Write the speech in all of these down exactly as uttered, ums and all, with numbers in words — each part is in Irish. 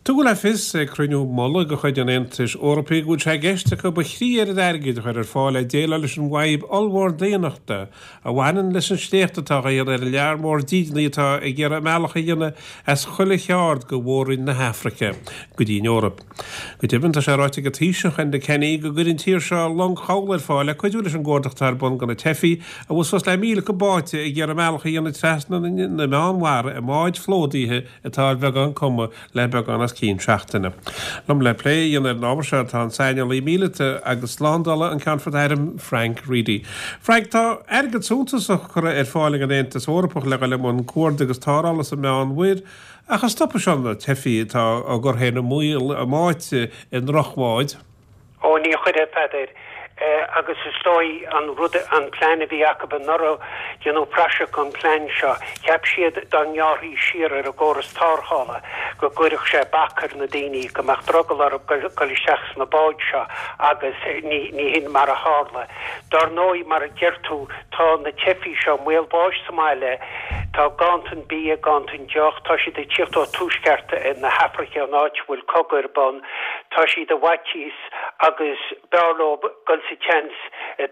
Tugadh le fios ag cruinniú mullaigh de chuid an Aontais Eorpaigh go bhfuil sé i gceist acu a thrí oiread airgid a chur ar fáil le déileáil leis an bhfadhb ollmhór daonnachta a bhaineann leis an sléacht atá á dhéanamh ar an lear mór dídeanaí atá ag iarraidh a mbealach a dhéanamh as chuile cheard de mhór-roinn na hAfraice go dtí an Eoraip. Go deimhin tá sé ráite ag an Taoiseach Enda Kenny go gcuirfidh an tír seo long chabhlaigh ar fáil le cuidiú leis an gcuardach atá ar bun do na teifigh a bhfuil suas le míle acu báite ag iarraidh a mbealach a dhéanamh trasna na Meánmhara i mbáid phlódaithe atá ar bheagán cuma le beagán os cionn seachtaine. Liom le plé a dhéanamh ar an ábhar seo tá an saineolaí míleata agus slándála an Ceannfort Airm Frank Reidy. Frank tá airgead suntasach curtha ar fáil ag an Aontas Eorpach le le mun cuardaigh agus tarrthála sa Mheánmhuir, ach an stopfaidh seo na teifigh atá á gcur féin i mbaol a mbáite i ndrochbháid. Ó ní chuirfidh a Pheadair agus is dóigh an rud an plean a bhí acu anuraidh déanadh praiseach an plean seo. Cheap siad dá ngearrfaí siar ar an gcóras tarrthála go gcuirfeadh sé bac ar na daoine go mbeadh drogall orthu dul isteach sna báid seo agus ní ní hin mar a tharla. Dar ndóigh mar a deir tú tá na teifigh seo i mbaol báis sa mbaile, tá ganntan bia ganntan deoch, tá siad ag tíocht ó tuaisceart na hAfraice an áit bhfuil cogadh ar bun, tá siad i bhfaitíos agus b'fhearr leo dul sa tseans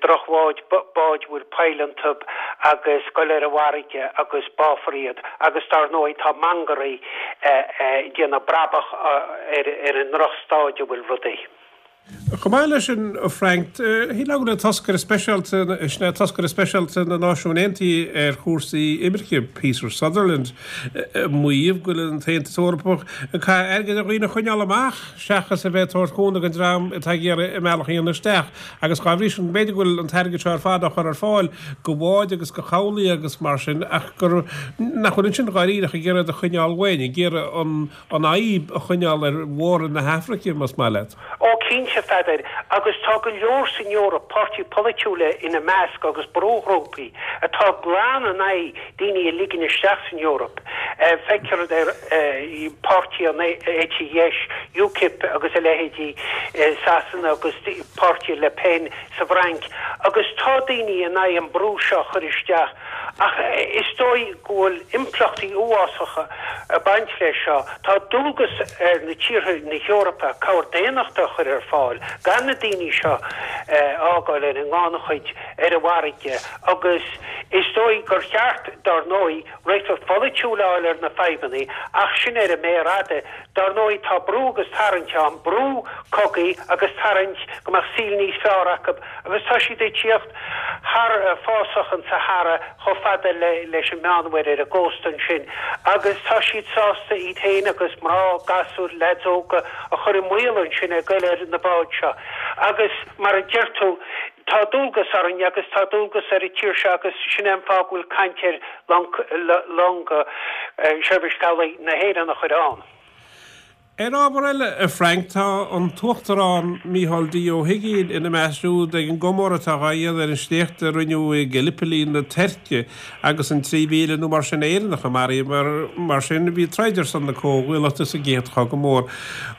drochbháid báid bhfuil poill iontu agus dul ar an bhfarraige agus báfar iad agus dar ndóigh tá mangairí ag déanamh brabach ar ar an ndrochstaid a bhfuil rudaí. Chomh maith leis sin Frank, shíl le toscaire speisialta sna toscaire speisialta na Náisiún Aontaithe ar chúrsaí imirce Peter Sutherland maíomh go bhfuil an tAontas Eorpach ag caitheamh airgid ar dhaoine a choinneáil amach seachas a bheith tabhairt cúnamh don dream atá ag iarraidh a mbealach a dhéanamh isteach agus dá bhrí sin b'fhéidir go bhfuil an t-airgead seo ar fad á chur ar fáil go bháid agus go cabhlaigh agus mar sin ach gur nach bhfuil ansin dáiríre ag iarraidh a choinneáil uainn ag iarraidh an an fhadhb a choinneáil ar mhór-roinn na hAfraice más maith leat. Ó cinnte a Pheadair agus tá go leor san Eoraip páirtithe polaitiúla ina measc agus brúghrúpaí atá glan in aghaidh daoine a ligean isteach san Eoraip. Feictear ar páirtí an eite dheis UKIP agus a leithéidí Sasana agus páirtí Le Pen sa bhFrainc agus tá daoine in aghaidh an brú seo chur isteach ach is dóigh go bhfuil impleachtaí uafásacha ag baint leis seo tá dualgas ar na tíortha na hEorpa cabhair daonnachta a chur ar fáil gan na daoine seo fhágáil ar an ngannchuid ar an bhfarraige agus is dóigh gur cheart dar ndóigh réiteach polaitiúil a fháil ar na fadhbanna ach sin ar an méar fhada dar ndóigh tá brú agus tarraingt ann brú cogaí agus tarraingt go mbeadh saol níos fearr acu agus tá siad ag tíocht thar fásach an Sahara chomh fada le leis an Meánmhuir ar an gcósta ansin agus tá siad sásta iad féin agus mná gasúir leaids óga a chur i mbaol ansin ag goil ar na báid seo agus mar a deir tú tá dualgas orainn agus tá dualgas ar an tír seo agus sin an fáth go bhfuil caint ar long seirbhís cabhlaigh na hÉireann a chur ann. Ar ábhar eile a Frank tá an tUachtarán Micheál D Ó hUigínn ina measc siúd ag an gcomóradh atá á dhéanamh ar an sléacht a rinneadh i Gallipoli na Tuirce agus an trí mhíle nó mar sin Éireannach a maraíodh mar mar sin bhí ag troid ar son na Comhghuaillíochta sa gCéad Chogadh Mór.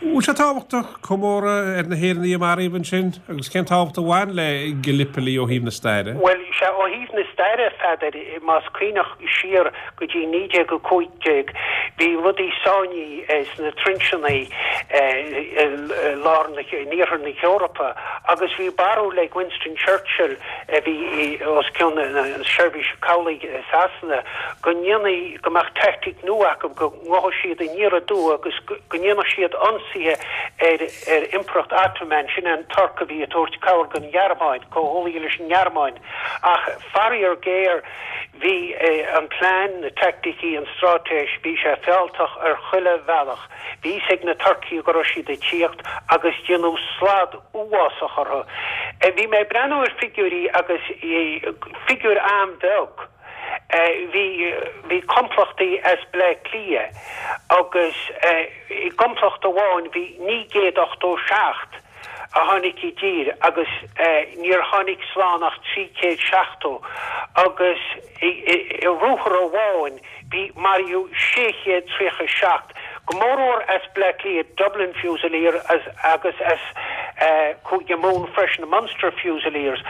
Bhfuil sé tábhachtach comóradh ar na hÉireannaigh a maraíodh ansin agus cén tábhacht a bhain le Gallipoli ó thaobh na staire? Well sé ó thaobh na staire a Pheadair más cuimhneach siar go dtí naoi déag a cúig déag bhí rudaí sáinnithe sna trinseanna lár na in iarthar na hEorpa agus bhí barúil ag Winston Churchill a bhí os cionn na seirbhíse cabhlaigh i Sasana go ndéanfaí go mbeadh tactic nua acu go ngabhfadh siad aniar aduaidh agus go ndéanfadh siad ionsaithe ar ar Impireacht Ottoman sin an Tuirc a bhí ag tabhairt cabhair don Ghearmáin comhghuaillithe leis an nGearmáin ach faraor géar bhí an plean na teaicticí an straitéis bhí sé fealltach ar chuile bhealach. Bhí fhios ag na Turcaigh go raibh siad ag tíocht agus déanadh slad uafásach orthu. Bhí mé ag breathnú ar figiúirí agus figiúr an-bheag. Bhí bhí complachtaí as Bleá Cliath agus i gcomplacht amháin bhí naoi gcéad ochtó seacht a tháinig i dtír agus níor tháinig slán ach trí chéad seachtó agus i ruathar amháin bhí maraíodh sé chéad tríocha seacht, go mórmhór as Bleá Cliath, Dublin Fusilier agus as Cúige Mumhan freisin, Munster Fusiliers,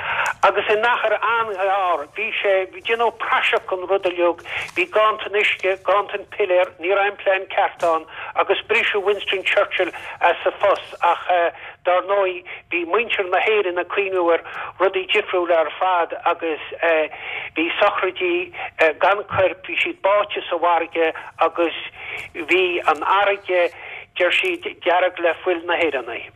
agus in achar an-ghearr bhí sé, bhí déanamh praiseach den rud uilig, bhí ganntan uisce, ganntan piléar, ní raibh aon plean ceart ann agus briseadh Winston Churchill as a phost ach dar ndóigh bhí muintir na hÉireann ag cuimhniú ar rudaí difriúla ar fad agus bhí sochraidí gan coirp, bhí siad báite sa bhfarraige agus bhí an fharraige, deir siad, dearg le fuil na hÉireannaigh.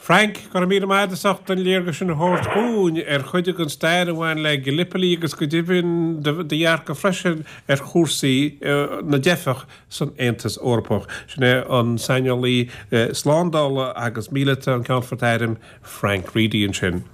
Frank, go raibh míle maith agat as ucht an léargas sin a thabhairt dhúinn ar chuid den stair a bhain le Gallipoli agus go deimhin do dhearcadh freisin ar chúrsaí na dteifeach san Aontas Eorpach. Sin é an saineolaí slándála agus míleata, an Ceannfort Airm Frank Reidy ansin.